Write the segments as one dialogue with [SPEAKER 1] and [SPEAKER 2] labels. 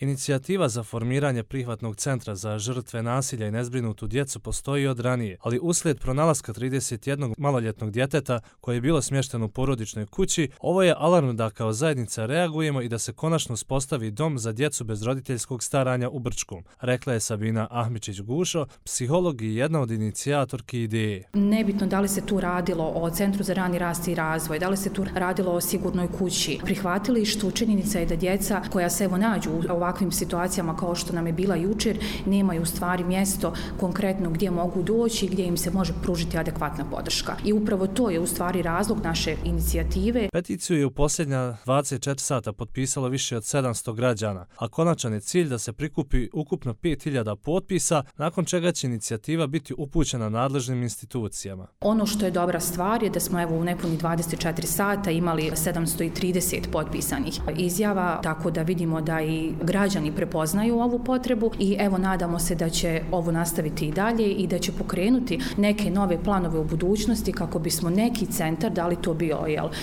[SPEAKER 1] Inicijativa za formiranje prihvatnog centra za žrtve nasilja i nezbrinutu djecu postoji od ranije, ali uslijed pronalaska 31 maloljetnog djeteta koje je bilo smješteno u porodičnoj kući, ovo je alarm da kao zajednica reagujemo i da se konačno uspostavi dom za djecu bez roditeljskog staranja u Brčkom, rekla je Sabina Ahmičić-Gušo, psiholog i jedna od inicijatorki ideje.
[SPEAKER 2] Nebitno da li se tu radilo o Centru za rani rast i razvoj, da li se tu radilo o sigurnoj kući, prihvatilištu, činjenica je da djeca koja se nađu u ovakvim situacijama kao što nam je bila jučer, nemaju u stvari mjesto konkretno gdje mogu doći i gdje im se može pružiti adekvatna podrška. I upravo to je u stvari razlog naše inicijative.
[SPEAKER 1] Peticiju je u posljednja 24 sata potpisalo više od 700 građana, a konačan je cilj da se prikupi ukupno 5000 potpisa, nakon čega će inicijativa biti upućena nadležnim institucijama.
[SPEAKER 2] Ono što je dobra stvar je da smo u nepuni 24 sata imali 730 potpisanih izjava, tako da vidimo da i građani prepoznaju ovu potrebu i nadamo se da će ovo nastaviti i dalje i da će pokrenuti neke nove planove u budućnosti kako bismo neki centar, da li to bio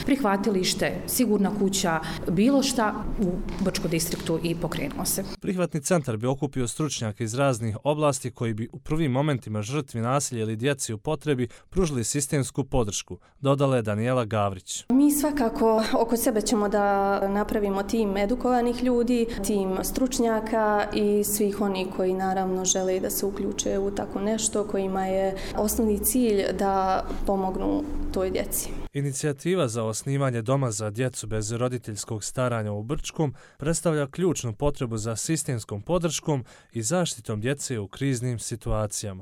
[SPEAKER 2] prihvatilište, sigurna kuća, bilo šta u Brčkom distriktu i pokrenuo se.
[SPEAKER 1] Prihvatni centar bi okupio stručnjake iz raznih oblasti koji bi u prvim momentima žrtvi nasilja ili djeci u potrebi pružili sistemsku podršku, dodala je Danijela Gavrić.
[SPEAKER 3] Mi svakako oko sebe ćemo da napravimo tim edukovanih ljudi, tim stručnjaka i svih oni koji naravno žele da se uključe u tako nešto, kojima je osnovni cilj da pomognu toj djeci.
[SPEAKER 1] Inicijativa za osnivanje doma za djecu bez roditeljskog staranja u Brčkom predstavlja ključnu potrebu za sistemskom podrškom i zaštitom djece u kriznim situacijama.